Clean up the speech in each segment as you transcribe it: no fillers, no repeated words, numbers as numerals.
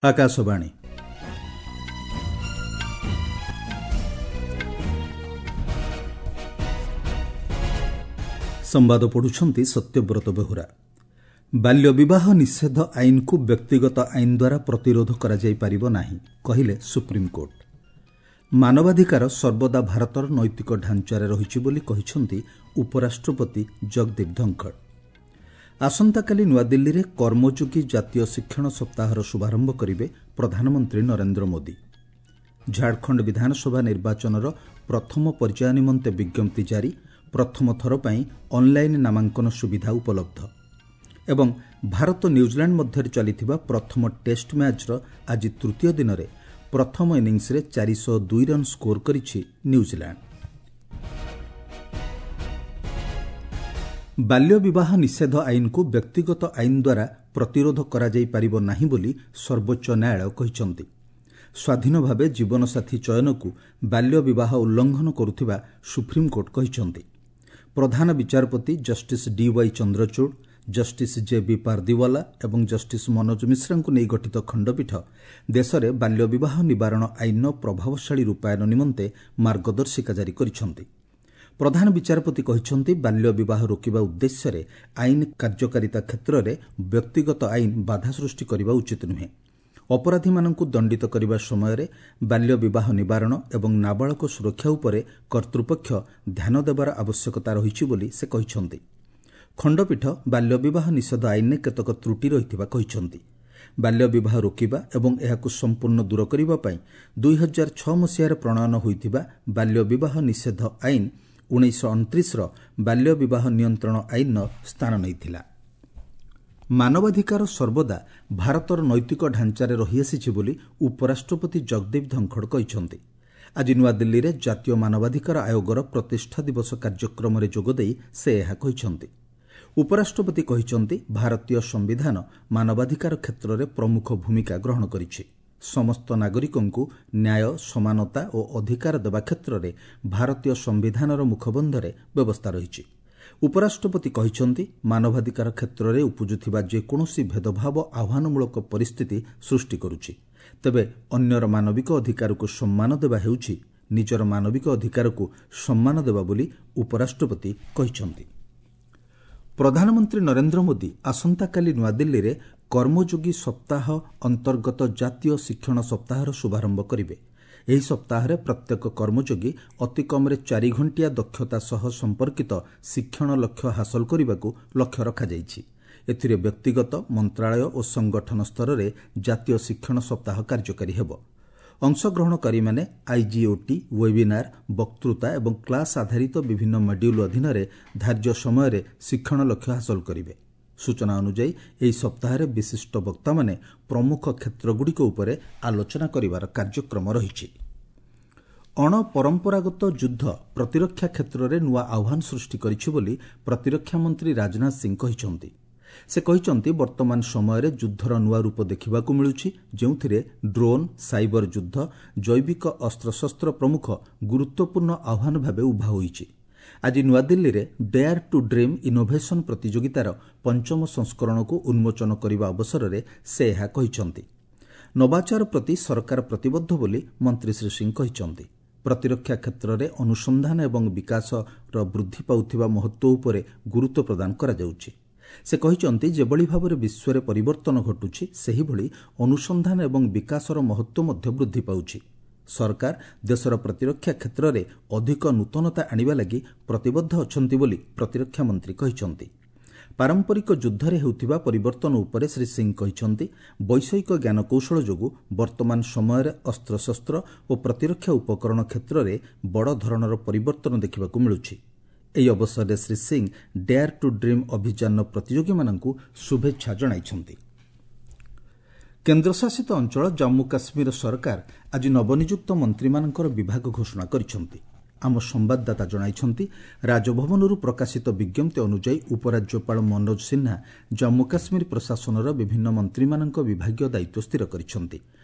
ଆକାଶବାଣୀ। ସମ୍ବାଦ ପଢୁଛନ୍ତି ସତ୍ୟବ୍ରତ ବେହୁରା। ବାଲ୍ୟ ବିବାହ ନିଷେଧ ଆଇନକୁ ବ୍ୟକ୍ତିଗତ ଆଇନ ଦ୍ୱାରା ପ୍ରତିରୋଧ କରାଯାଇପାରିବ ନାହିଁ, କହିଲେ ସୁପ୍ରିମକୋର୍ଟ। ମାନବାଧିକାର ସର୍ବଦା ଭାରତର ନୈତିକ ଢାଞ୍ଚାରେ ରହିଛି ବୋଲି କହିଛନ୍ତି ଉପରାଷ୍ଟ୍ରପତି ଜଗଦୀପ ଧନଖଡ଼। ଆସନ୍ତାକାଲି ନୂଆଦିଲ୍ଲୀରେ କର୍ମଯୋଗୀ ଜାତୀୟ ଶିକ୍ଷଣ ସପ୍ତାହର ଶୁଭାରମ୍ଭ କରିବେ ପ୍ରଧାନମନ୍ତ୍ରୀ ନରେନ୍ଦ୍ର ମୋଦି। ଝାଡ଼ଖଣ୍ଡ ବିଧାନସଭା ନିର୍ବାଚନର ପ୍ରଥମ ପର୍ଯ୍ୟାୟ ନିମନ୍ତେ ବିଜ୍ଞପ୍ତି ଜାରି। ପ୍ରଥମ ଥର ପାଇଁ ଅନ୍ଲାଇନ୍ ନାମାଙ୍କନ ସୁବିଧା ଉପଲବ୍ଧ। ଏବଂ ଭାରତ ନ୍ୟୁଜିଲାଣ୍ଡ ମଧ୍ୟରେ ଚାଲିଥିବା ପ୍ରଥମ ଟେଷ୍ଟ ମ୍ୟାଚ୍ର ଆଜି ତୃତୀୟ ଦିନରେ ପ୍ରଥମ ଇନିଂସରେ 402 ରନ୍ ସ୍କୋର କରିଛି ନ୍ୟୁଜିଲାଣ୍ଡ। ବାଲ୍ୟ ବିବାହ ନିଷେଧ ଆଇନକୁ ବ୍ୟକ୍ତିଗତ ଆଇନ ଦ୍ୱାରା ପ୍ରତିରୋଧ କରାଯାଇପାରିବ ନାହିଁ ବୋଲି ସର୍ବୋଚ୍ଚ ନ୍ୟାୟାଳୟ କହିଛନ୍ତି। ସ୍ୱାଧୀନ ଭାବେ ଜୀବନସାଥୀ ଚୟନକୁ ବାଲ୍ୟ ବିବାହ ଉଲ୍ଲଂଘନ କରୁଥିବା ସୁପ୍ରିମକୋର୍ଟ କହିଛନ୍ତି। ପ୍ରଧାନ ବିଚାରପତି justice D Y Chandrachud, justice J B Pardiwala ଏବଂ ଜଷ୍ଟିସ୍ ମନୋଜ ମିଶ୍ରାଙ୍କୁ ନେଇ ଗଠିତ ଖଣ୍ଡପୀଠ ଦେଶରେ ବାଲ୍ୟ ବିବାହ ନିବାରଣ ଆଇନର ପ୍ରଭାବଶାଳୀ ରୂପାୟନ ନିମନ୍ତେ ମାର୍ଗଦର୍ଶିକା ଜାରି କରିଛନ୍ତି। ପ୍ରଧାନ ବିଚାରପତି କହିଛନ୍ତି, ବାଲ୍ୟ ବିବାହ ରୋକିବା ଉଦ୍ଦେଶ୍ୟରେ ଆଇନ କାର୍ଯ୍ୟକାରିତା କ୍ଷେତ୍ରରେ ବ୍ୟକ୍ତିଗତ ଆଇନ ବାଧା ସୃଷ୍ଟି କରିବା ଉଚିତ ନୁହେଁ। ଅପରାଧୀମାନଙ୍କୁ ଦଣ୍ଡିତ କରିବା ସମୟରେ ବାଲ୍ୟ ବିବାହ ନିବାରଣ ଏବଂ ନାବାଳକ ସୁରକ୍ଷା ଉପରେ କର୍ତ୍ତୃପକ୍ଷ ଧ୍ୟାନ ଦେବାର ଆବଶ୍ୟକତା ରହିଛି ବୋଲି ସେ କହିଛନ୍ତି। ଖଣ୍ଡପୀଠ ବାଲ୍ୟ ବିବାହ ନିଷେଧ ଆଇନରେ କେତେକ ତ୍ରୁଟି ରହିଥିବା କହିଛନ୍ତି। ବାଲ୍ୟ ବିବାହ ରୋକିବା ଏବଂ ଏହାକୁ ସମ୍ପୂର୍ଣ୍ଣ ଦୂର କରିବା ପାଇଁ 2006 ମସିହାରେ ପ୍ରଣୟନ ହୋଇଥିବା ବାଲ୍ୟ ବିବାହ ନିଷେଧ ଆଇନ 1929ର ବାଲ୍ୟ ବିବାହ ନିୟନ୍ତ୍ରଣ ଆଇନର ସ୍ଥାନ ନେଇଥିଲା। ମାନବାଧିକାର ସର୍ବଦା ଭାରତର ନୈତିକ ଢାଞ୍ଚାରେ ରହିଆସିଛି ବୋଲି ଉପରାଷ୍ଟ୍ରପତି ଜଗଦୀପ ଧନଖଡ଼ କହିଛନ୍ତି। ଆଜି ନୂଆଦିଲ୍ଲୀରେ ଜାତୀୟ ମାନବାଧିକାର ଆୟୋଗର ପ୍ରତିଷ୍ଠା ଦିବସ କାର୍ଯ୍ୟକ୍ରମରେ ଯୋଗଦେଇ ସେ ଏହା କହିଛନ୍ତି। ଉପରାଷ୍ଟ୍ରପତି କହିଛନ୍ତି, ଭାରତୀୟ ସମ୍ବିଧାନ ମାନବାଧିକାର କ୍ଷେତ୍ରରେ ପ୍ରମୁଖ ଭୂମିକା ଗ୍ରହଣ କରିଛି। ସମସ୍ତ ନାଗରିକଙ୍କୁ ନ୍ୟାୟ, ସମାନତା ଓ ଅଧିକାର ଦେବା କ୍ଷେତ୍ରରେ ଭାରତୀୟ ସମ୍ବିଧାନର ମୁଖବନ୍ଧରେ ବ୍ୟବସ୍ଥା ରହିଛି। ଉପରାଷ୍ଟ୍ରପତି କହିଛନ୍ତି, ମାନବାଧିକାର କ୍ଷେତ୍ରରେ ଉପୁଜୁଥିବା ଯେକୌଣସି ଭେଦଭାବ ଆହ୍ୱାନମୂଳକ ପରିସ୍ଥିତି ସୃଷ୍ଟି କରୁଛି। ତେବେ ଅନ୍ୟର ମାନବିକ ଅଧିକାରକୁ ସମ୍ମାନ ଦେବା ହେଉଛି ନିଜର ମାନବିକ ଅଧିକାରକୁ ସମ୍ମାନ ଦେବା ବୋଲି ଉପରାଷ୍ଟ୍ରପତି କହିଛନ୍ତି। ପ୍ରଧାନମନ୍ତ୍ରୀ ନରେନ୍ଦ୍ର ମୋଦି ଆସନ୍ତାକାଲି ନୂଆଦିଲ୍ଲୀରେ କର୍ମଯୋଗୀ ସପ୍ତାହ ଅନ୍ତର୍ଗତ ଜାତୀୟ ଶିକ୍ଷଣ ସପ୍ତାହର ଶୁଭାରମ୍ଭ କରିବେ। ଏହି ସପ୍ତାହରେ ପ୍ରତ୍ୟେକ କର୍ମଯୋଗୀ ଅତି କମ୍ରେ 4 ଘଣ୍ଟିଆ ଦକ୍ଷତା ସହ ସମ୍ପର୍କିତ ଶିକ୍ଷଣ ଲକ୍ଷ୍ୟ ହାସଲ କରିବାକୁ ଲକ୍ଷ୍ୟ ରଖାଯାଇଛି। ଏଥିରେ ବ୍ୟକ୍ତିଗତ, ମନ୍ତ୍ରାଳୟ ଓ ସଂଗଠନ ସ୍ତରରେ ଜାତୀୟ ଶିକ୍ଷଣ ସପ୍ତାହ କାର୍ଯ୍ୟକାରୀ ହେବ। ଅଂଶଗ୍ରହଣକାରୀମାନେ ଆଇଜିଓଟି, ୱେବିନାର, ବକ୍ତୃତା ଏବଂ କ୍ଲାସ୍ ଆଧାରିତ ବିଭିନ୍ନ ମଡ୍ୟୁଲ୍ ଅଧୀନରେ ଧାର୍ଯ୍ୟ ସମୟରେ ଶିକ୍ଷଣ ଲକ୍ଷ୍ୟ ହାସଲ କରିବେ। ସୂଚନା ଅନୁଯାୟୀ, ଏହି ସପ୍ତାହରେ ବିଶିଷ୍ଟ ବକ୍ତାମାନେ ପ୍ରମୁଖ କ୍ଷେତ୍ରଗୁଡ଼ିକ ଉପରେ ଆଲୋଚନା କରିବାର କାର୍ଯ୍ୟକ୍ରମ ରହିଛି। ଅଣପରମ୍ପରାଗତ ଯୁଦ୍ଧ ପ୍ରତିରକ୍ଷା କ୍ଷେତ୍ରରେ ନୂଆ ଆହ୍ୱାନ ସୃଷ୍ଟି କରିଛି ବୋଲି ପ୍ରତିରକ୍ଷା ମନ୍ତ୍ରୀ ରାଜନାଥ ସିଂ କହିଛନ୍ତି। ସେ କହିଛନ୍ତି, ବର୍ତ୍ତମାନ ସମୟରେ ଯୁଦ୍ଧର ନୂଆ ରୂପ ଦେଖିବାକୁ ମିଳୁଛି, ଯେଉଁଥିରେ ଡ୍ରୋନ୍, ସାଇବର ଯୁଦ୍ଧ, ଜୈବିକ ଅସ୍ତ୍ରଶସ୍ତ୍ର ପ୍ରମୁଖ ଗୁରୁତ୍ୱପୂର୍ଣ୍ଣ ଆହ୍ୱାନ ଭାବେ ଉଭା ହୋଇଛି। ଆଜି ନୂଆଦିଲ୍ଲୀରେ ଡେୟାର ଟୁ ଡ୍ରିମ୍ ଇନୋଭେସନ୍ ପ୍ରତିଯୋଗିତାର ପଞ୍ଚମ ସଂସ୍କରଣକୁ ଉନ୍ମୋଚନ କରିବା ଅବସରରେ ସେ ଏହା କହିଛନ୍ତି। ନବାଚାର ପ୍ରତି ସରକାର ପ୍ରତିବଦ୍ଧ ବୋଲି ମନ୍ତ୍ରୀ ଶ୍ରୀ ସିଂ କହିଛନ୍ତି। ପ୍ରତିରକ୍ଷା କ୍ଷେତ୍ରରେ ଅନୁସନ୍ଧାନ ଏବଂ ବିକାଶର ବୃଦ୍ଧି ପାଉଥିବା ମହତ୍ତ୍ୱ ଉପରେ ଗୁରୁତ୍ୱ ପ୍ରଦାନ କରାଯାଉଛି। ସେ କହିଛନ୍ତି, ଯେଭଳି ଭାବରେ ବିଶ୍ୱରେ ପରିବର୍ତ୍ତନ ଘଟୁଛି, ସେହିଭଳି ଅନୁସନ୍ଧାନ ଏବଂ ବିକାଶର ମହତ୍ତ୍ୱ ମଧ୍ୟ ବୃଦ୍ଧି ପାଉଛି। ସରକାର ଦେଶର ପ୍ରତିରକ୍ଷା କ୍ଷେତ୍ରରେ ଅଧିକ ନୂତନତା ଆଣିବା ଲାଗି ପ୍ରତିବଦ୍ଧ ଅଛନ୍ତି ବୋଲି ପ୍ରତିରକ୍ଷା ମନ୍ତ୍ରୀ କହିଛନ୍ତି। ପାରମ୍ପରିକ ଯୁଦ୍ଧରେ ହେଉଥିବା ପରିବର୍ତ୍ତନ ଉପରେ ଶ୍ରୀ ସିଂ କହିଛନ୍ତି, ବୈଷୟିକ ଜ୍ଞାନକୌଶଳ ଯୋଗୁଁ ବର୍ତ୍ତମାନ ସମୟରେ ଅସ୍ତ୍ରଶସ୍ତ୍ର ଓ ପ୍ରତିରକ୍ଷା ଉପକରଣ କ୍ଷେତ୍ରରେ ବଡ଼ ଧରଣର ପରିବର୍ତ୍ତନ ଦେଖିବାକୁ ମିଳୁଛି। ଏହି ଅବସରରେ Shri Singh dare to dream ଅଭିଯାନର ପ୍ରତିଯୋଗୀମାନଙ୍କୁ ଶୁଭେଚ୍ଛା ଜଣାଇଛନ୍ତି। କେନ୍ଦ୍ରଶାସିତ ଅଞ୍ଚଳ ଜାମ୍ମୁ କାଶ୍ମୀର ସରକାର ଆଜି ନବନିଯୁକ୍ତ ମନ୍ତ୍ରୀମାନଙ୍କର ବିଭାଗ ଘୋଷଣା କରିଛନ୍ତି। ଆମ ସମ୍ବାଦଦାତା ଜଣାଇଛନ୍ତି, ରାଜଭବନରୁ ପ୍ରକାଶିତ ବିଜ୍ଞପ୍ତି ଅନୁଯାୟୀ ଉପରାଜ୍ୟପାଳ ମନୋଜ ସିହ୍ନା ଜାମ୍ମୁ କାଶ୍ମୀର ପ୍ରଶାସନର ବିଭିନ୍ନ ମନ୍ତ୍ରୀମାନଙ୍କ ବିଭାଗୀୟ ଦାୟିତ୍ୱ ସ୍ଥିର କରିଛନ୍ତି।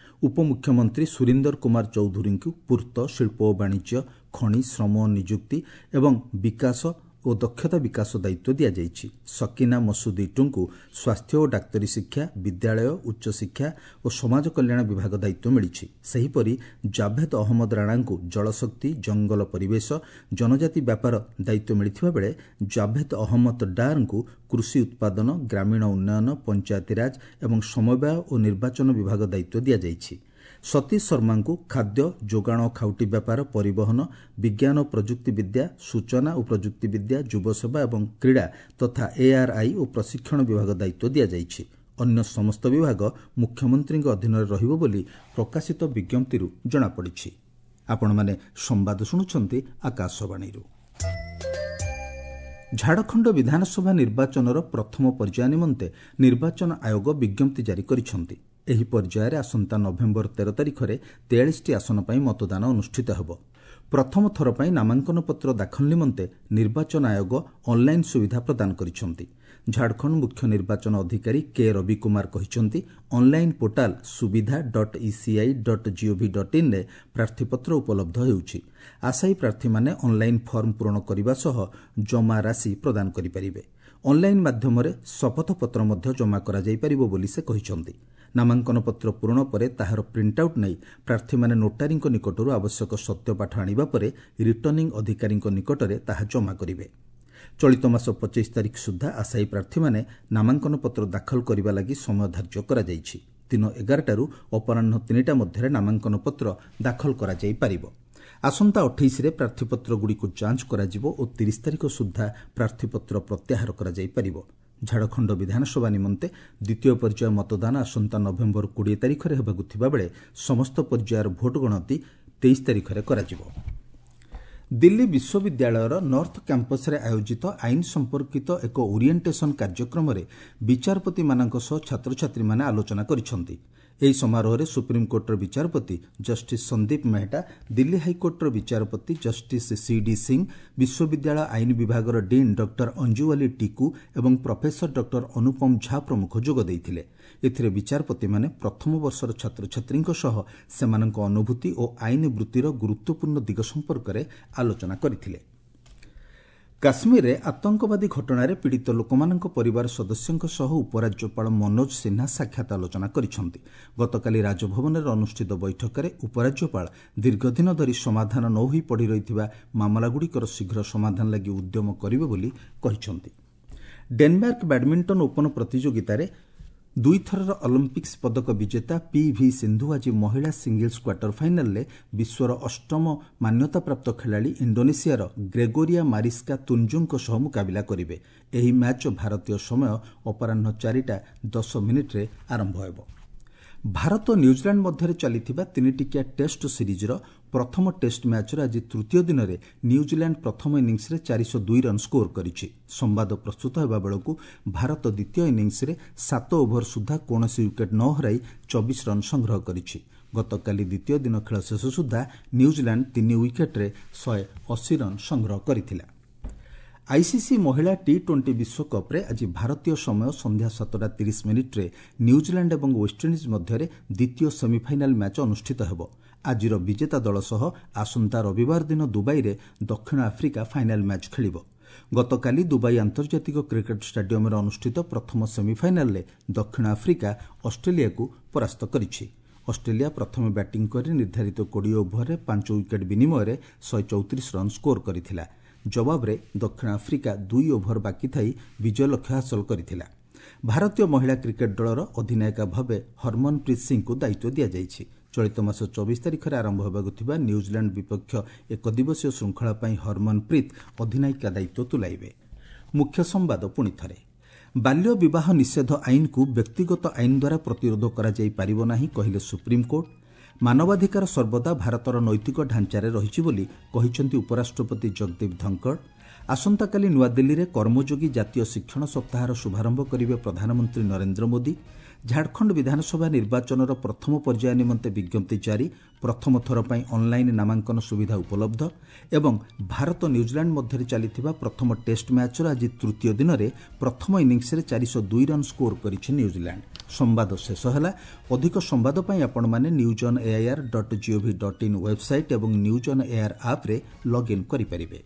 ଉପମୁଖ୍ୟମନ୍ତ୍ରୀ ସୁରିନ୍ଦର କୁମାର ଚୌଧୁରୀଙ୍କୁ ପୂର୍ତ୍ତ, ଶିଳ୍ପ ଓ ବାଣିଜ୍ୟ, ଖଣି, ଶ୍ରମ ଓ ନିଯୁକ୍ତି ଏବଂ ବିକାଶ, ଓ ଦକ୍ଷତା ବିକାଶ ଦାୟିତ୍ୱ ଦିଆଯାଇଛି। ସକିନା ମସୁଦ ଇଟୁଙ୍କୁ ସ୍ୱାସ୍ଥ୍ୟ ଓ ଡାକ୍ତରୀ ଶିକ୍ଷା, ବିଦ୍ୟାଳୟ, ଉଚ୍ଚଶିକ୍ଷା ଓ ସମାଜ କଲ୍ୟାଣ ବିଭାଗ ଦାୟିତ୍ୱ ମିଳିଛି। ସେହିପରି ଜାଭେଦ ଅହମ୍ମଦ ରାଣାଙ୍କୁ ଜଳଶକ୍ତି, ଜଙ୍ଗଲ ପରିବେଶ, ଜନଜାତି ବ୍ୟାପାର ଦାୟିତ୍ୱ ମିଳିଥିବା ବେଳେ ଜାଭେଦ ଅହମ୍ମଦ ଡାର୍ଙ୍କୁ କୃଷି ଉତ୍ପାଦନ, ଗ୍ରାମୀଣ ଉନ୍ନୟନ, ପଞ୍ଚାୟତିରାଜ ଏବଂ ସମବାୟ ଓ ନିର୍ବାଚନ ବିଭାଗ ଦାୟିତ୍ୱ ଦିଆଯାଇଛି। ସତୀଶ ଶର୍ମାଙ୍କୁ ଖାଦ୍ୟ ଯୋଗାଣ ଓ ଖାଉଟି ବ୍ୟାପାର, ପରିବହନ, ବିଜ୍ଞାନ ଓ ପ୍ରଯୁକ୍ତି ବିଦ୍ୟା, ସୂଚନା ଓ ପ୍ରଯୁକ୍ତି ବିଦ୍ୟା, ଯୁବସେବା ଏବଂ କ୍ରୀଡ଼ା ତଥା ଏଆର୍ଆଇ ଓ ପ୍ରଶିକ୍ଷଣ ବିଭାଗ ଦାୟିତ୍ୱ ଦିଆଯାଇଛି। ଅନ୍ୟ ସମସ୍ତ ବିଭାଗ ମୁଖ୍ୟମନ୍ତ୍ରୀଙ୍କ ଅଧୀନରେ ରହିବ ବୋଲି ପ୍ରକାଶିତ ବିଜ୍ଞପ୍ତିରୁ ଜଣାପଡ଼ିଛି। ଆପଣମାନେ ସମ୍ବାଦ ଶୁଣୁଛନ୍ତି ଆକାଶବାଣୀରୁ। ଝାଡ଼ଖଣ୍ଡ ବିଧାନସଭା ନିର୍ବାଚନର ପ୍ରଥମ ପର୍ଯ୍ୟାୟ ନିମନ୍ତେ ନିର୍ବାଚନ ଆୟୋଗ ବିଜ୍ଞପ୍ତି ଜାରି କରିଛନ୍ତି। ଏହି ପର୍ଯ୍ୟାୟରେ ଆସନ୍ତା ନଭେମ୍ବର 13 ତାରିଖରେ 43ଟି ଆସନ ପାଇଁ ମତଦାନ ଅନୁଷ୍ଠିତ ହେବ। ପ୍ରଥମ ଥର ପାଇଁ ନାମାଙ୍କନପତ୍ର ଦାଖଲ ନିମନ୍ତେ ନିର୍ବାଚନ ଆୟୋଗ ଅନ୍ଲାଇନ୍ ସୁବିଧା ପ୍ରଦାନ କରିଛନ୍ତି। ଝାଡ଼ଖଣ୍ଡ ମୁଖ୍ୟ ନିର୍ବାଚନ ଅଧିକାରୀ କେ ରବି କୁମାର କହିଛନ୍ତି, online portal Suvidha dot ECI dot GOV dot ଇନ୍ରେ ପ୍ରାର୍ଥୀପତ୍ର ଉପଲବ୍ଧ ହେଉଛି। ଆଶାୟୀ ପ୍ରାର୍ଥୀମାନେ ଅନ୍ଲାଇନ୍ ଫର୍ମ ପୂରଣ କରିବା ସହ ଜମା ରାଶି ପ୍ରଦାନ କରିପାରିବେ। ଅନ୍ଲାଇନ୍ ମାଧ୍ୟମରେ ଶପଥପତ୍ର ମଧ୍ୟ ଜମା କରାଯାଇପାରିବ ବୋଲି ସେ କହିଛନ୍ତି। ନାମାଙ୍କନପତ୍ର ପୂରଣ ପରେ ତାହାର ପ୍ରିଣ୍ଟଆଉଟ୍ ନେଇ ପ୍ରାର୍ଥୀମାନେ ନୋଟାରୀଙ୍କ ନିକଟରୁ ଆବଶ୍ୟକ ସତ୍ୟପାଠ ଆଣିବା ପରେ ରିଟର୍ଣ୍ଣିଂ ଅଧିକାରୀଙ୍କ ନିକଟରେ ତାହା ଜମା କରିବେ। ଚଳିତ ମାସ 25 ତାରିଖ ସୁଦ୍ଧା ଆଶାୟୀ ପ୍ରାର୍ଥୀମାନେ ନାମାଙ୍କନପତ୍ର ଦାଖଲ କରିବା ଲାଗି ସମୟ ଧାର୍ଯ୍ୟ କରାଯାଇଛି। ଦିନ 11ଟାରୁ ଅପରାହ୍ନ 3ଟା ମଧ୍ୟରେ ନାମାଙ୍କନପତ୍ର ଦାଖଲ କରାଯାଇପାରିବ। ଆସନ୍ତା 28ରେ ପ୍ରାର୍ଥୀପତ୍ରଗୁଡ଼ିକୁ ଯାଞ୍ଚ କରାଯିବ ଓ 30 ତାରିଖ ସୁଦ୍ଧା ପ୍ରାର୍ଥୀପତ୍ର ପ୍ରତ୍ୟାହାର କରାଯାଇପାରିବ। ଝାଡ଼ଖଣ୍ଡ ବିଧାନସଭା ନିମନ୍ତେ ଦ୍ୱିତୀୟ ପର୍ଯ୍ୟାୟ ମତଦାନ ଆସନ୍ତା ନଭେମ୍ବର 20 ତାରିଖରେ ହେବାକୁ ଥିବାବେଳେ ସମସ୍ତ ପର୍ଯ୍ୟାୟର ଭୋଟ ଗଣତି 23 ତାରିଖରେ କରାଯିବ। ଦିଲ୍ଲୀ ବିଶ୍ୱବିଦ୍ୟାଳୟର ନର୍ଥ କ୍ୟାମ୍ପସ୍ରେ ଆୟୋଜିତ ଆଇନ ସମ୍ପର୍କିତ ଏକ ଓରିଏଣ୍ଟେସନ୍ କାର୍ଯ୍ୟକ୍ରମରେ ବିଚାରପତିମାନଙ୍କ ସହ ଛାତ୍ରଛାତ୍ରୀମାନେ ଆଲୋଚନା କରିଛନ୍ତି। ଏହି ସମାରୋହରେ ସୁପ୍ରିମକୋର୍ଟର ବିଚାରପତି ଜଷ୍ଟିସ୍ ସନ୍ଦୀପ ମେହେଟା, ଦିଲ୍ଲୀ ହାଇକୋର୍ଟର ବିଚାରପତି ଜଷ୍ଟିସ୍ ସି.ଡି. ସିଂ, ବିଶ୍ୱବିଦ୍ୟାଳୟ ଆଇନ ବିଭାଗର ଡିନ୍ ଡକ୍ଟର ଅଞ୍ଜୁୱାଲି ଟିକୁ ଏବଂ ପ୍ରଫେସର ଡକ୍ଟର ଅନୁପମ ଝା ପ୍ରମୁଖ ଯୋଗ ଦେଇଥିଲେ। ଏଥିରେ ବିଚାରପତିମାନେ ପ୍ରଥମ ବର୍ଷର ଛାତ୍ରଛାତ୍ରୀଙ୍କ ସହ ସେମାନଙ୍କ ଅନୁଭୂତି ଓ ଆଇନ ବୃତ୍ତିର ଗୁରୁତ୍ୱପୂର୍ଣ୍ଣ ଦିଗ ସମ୍ପର୍କରେ ଆଲୋଚନା କରିଥିଲେ। କାଶ୍ମୀରରେ ଆତଙ୍କବାଦୀ ଘଟଣାରେ ପୀଡ଼ିତ ଲୋକମାନଙ୍କ ପରିବାର ସଦସ୍ୟଙ୍କ ସହ ଉପରାଜ୍ୟପାଳ ମନୋଜ ସିହ୍ନା ସାକ୍ଷାତ ଆଲୋଚନା କରିଛନ୍ତି। ଗତକାଲି ରାଜଭବନରେ ଅନୁଷ୍ଠିତ ବୈଠକରେ ଉପରାଜ୍ୟପାଳ ଦୀର୍ଘଦିନ ଧରି ସମାଧାନ ନ ହୋଇ ପଡ଼ି ରହିଥିବା ମାମଲାଗୁଡ଼ିକର ଶୀଘ୍ର ସମାଧାନ ଲାଗି ଉଦ୍ୟମ କରିବେ ବୋଲି କହିଛନ୍ତି। ଡେନମାର୍କ ବ୍ୟାଡମିଣ୍ଟନ ଓପନ ପ୍ରତିଯୋଗିତାରେ ଦୁଇଥରର ଅଲିମ୍ପିକ୍ସ ପଦକ ବିଜେତା ପି ଭି ସିନ୍ଧୁ ଆଜି ମହିଳା ସିଙ୍ଗଲ୍ସ କ୍ୱାର୍ଟର ଫାଇନାଲରେ ବିଶ୍ୱର ଅଷ୍ଟମ ମାନ୍ୟତାପ୍ରାପ୍ତ ଖେଳାଳି ଇଣ୍ଡୋନେସିଆର ଗ୍ରେଗୋରିଆ ମାରିସ୍କା ତୁଞ୍ଜୁଙ୍କ ସହ ମୁକାବିଲା କରିବେ। ଏହି ମ୍ୟାଚ୍ ଭାରତୀୟ ସମୟ ଅପରାହ୍ନ 4ଟା 10 ମିନିଟ୍ରେ ଆରମ୍ଭ ହେବ। ଭାରତ ନ୍ୟୁଜିଲାଣ୍ଡ ମଧ୍ୟରେ ଚାଲିଥିବା ତିନିଟିକିଆ ଟେଷ୍ଟ ସିରିଜ୍ର ପ୍ରଥମ ଟେଷ୍ଟ ମ୍ୟାଚ୍ର ଆଜି ତୃତୀୟ ଦିନରେ ନ୍ୟୁଜିଲାଣ୍ଡ ପ୍ରଥମ ଇନିଂସରେ 402 ରନ୍ ସ୍କୋର କରିଛି। ସମ୍ବାଦ ପ୍ରସ୍ତୁତ ହେବା ବେଳକୁ ଭାରତ ଦ୍ୱିତୀୟ ଇନିଂସରେ 7 ଓଭର ସୁଦ୍ଧା କୌଣସି ୱିକେଟ୍ ନ ହରାଇ 24 ରନ୍ ସଂଗ୍ରହ କରିଛି। ଗତକାଲି ଦ୍ୱିତୀୟ ଦିନ ଖେଳ ଶେଷ ସୁଦ୍ଧା ନ୍ୟୁଜିଲାଣ୍ଡ 3 ୱିକେଟ୍ରେ 180 ରନ୍ ସଂଗ୍ରହ କରିଥିଲା। ଆଇସିସି ମହିଳା ଟି-20 ବିଶ୍ୱକପ୍ରେ ଆଜି ଭାରତୀୟ ସମୟ ସନ୍ଧ୍ୟା 7ଟା 30 ମିନିଟ୍ରେ ନ୍ୟୁଜିଲାଣ୍ଡ ଏବଂ ୱେଷ୍ଟଇଣ୍ଡିଜ୍ ମଧ୍ୟରେ ଦ୍ୱିତୀୟ ସେମିଫାଇନାଲ୍ ମ୍ୟାଚ୍ ଅନୁଷ୍ଠିତ ହେବ। ଆଜିର ବିଜେତା ଦଳ ସହ ଆସନ୍ତା ରବିବାର ଦିନ ଦୁବାଇରେ ଦକ୍ଷିଣ ଆଫ୍ରିକା ଫାଇନାଲ୍ ମ୍ୟାଚ୍ ଖେଳିବ। ଗତକାଲି ଦୁବାଇ ଆନ୍ତର୍ଜାତିକ କ୍ରିକେଟ୍ ଷ୍ଟାଡିୟମ୍ରେ ଅନୁଷ୍ଠିତ ପ୍ରଥମ ସେମିଫାଇନାଲ୍ରେ ଦକ୍ଷିଣ ଆଫ୍ରିକା ଅଷ୍ଟ୍ରେଲିଆକୁ ପରାସ୍ତ କରିଛି। ଅଷ୍ଟ୍ରେଲିଆ ପ୍ରଥମେ ବ୍ୟାଟିଂ କରି ନିର୍ଦ୍ଧାରିତ 20 ଓଭରରେ 5 ୱିକେଟ୍ ବିନିମୟରେ 134 ରନ୍ ସ୍କୋର କରିଥିଲା। ଜବାବରେ ଦକ୍ଷିଣ ଆଫ୍ରିକା 2 ଓଭର ବାକି ଥାଇ ବିଜୟ ଲକ୍ଷ୍ୟ ହାସଲ କରିଥିଲା। ଭାରତୀୟ ମହିଳା କ୍ରିକେଟ୍ ଦଳର ଅଧିନାୟିକା ଭାବେ ହରମନପ୍ରୀତ ସିଂଙ୍କୁ ଦାୟିତ୍ୱ ଦିଆଯାଇଛି। ଚଳିତ ମାସ 24 ତାରିଖରେ ଆରମ୍ଭ ହେବାକୁ ଥିବା ନ୍ୟୁଜିଲାଣ୍ଡ ବିପକ୍ଷ ଏକଦିବସୀୟ ଶୃଙ୍ଖଳା ପାଇଁ ହରମନପ୍ରୀତ ଅଧିନାୟିକା ଦାୟିତ୍ୱ ତୁଲାଇବେ। ମୁଖ୍ୟ ସମ୍ବାଦ ପୁଣି ଥରେ। ବାଲ୍ୟ ବିବାହ ନିଷେଧ ଆଇନକୁ ବ୍ୟକ୍ତିଗତ ଆଇନ ଦ୍ୱାରା ପ୍ରତିରୋଧ କରାଯାଇପାରିବ ନାହିଁ, କହିଲେ ସୁପ୍ରିମକୋର୍ଟ। ମାନବାଧିକାର ସର୍ବଦା ଭାରତର ନୈତିକ ଢାଞ୍ଚାରେ ରହିଛି ବୋଲି କହିଛନ୍ତି ଉପରାଷ୍ଟ୍ରପତି ଜଗଦୀପ ଧନଖଡ଼। ଆସନ୍ତାକାଲି ନୂଆଦିଲ୍ଲୀରେ କର୍ମଯୋଗୀ ଜାତୀୟ ଶିକ୍ଷଣ ସପ୍ତାହର ଶୁଭାରମ୍ଭ କରିବେ ପ୍ରଧାନମନ୍ତ୍ରୀ ନରେନ୍ଦ୍ର ମୋଦି। ଝାଡ଼ଖଣ୍ଡ ବିଧାନସଭା ନିର୍ବାଚନର ପ୍ରଥମ ପର୍ଯ୍ୟାୟ ନିମନ୍ତେ ବିଜ୍ଞପ୍ତି ଜାରି, ପ୍ରଥମ ଥର ପାଇଁ ଅନ୍ଲାଇନ୍ ନାମାଙ୍କନ ସୁବିଧା ଉପଲବ୍ଧ ଏବଂ ଭାରତ ନ୍ୟୁଜିଲାଣ୍ଡ ମଧ୍ୟରେ ଚାଲିଥିବା ପ୍ରଥମ ଟେଷ୍ଟ ମ୍ୟାଚ୍ର ଆଜି ତୃତୀୟ ଦିନରେ ପ୍ରଥମ ଇନିଂସରେ 402 ରନ୍ ସ୍କୋର କରିଛି ନ୍ୟୁଜିଲାଣ୍ଡ। ସମ୍ବାଦ ଶେଷ ହେଲା। ଅଧିକ ସମ୍ବାଦ ପାଇଁ ଆପଣମାନେ News on AIR dot gov dot in website ଏବଂ ନ୍ୟୁଜ୍ ଅନ୍ ଏଆଇଆର୍ ଆପ୍ରେ ଲଗ୍ଇନ୍ କରିପାରିବେ।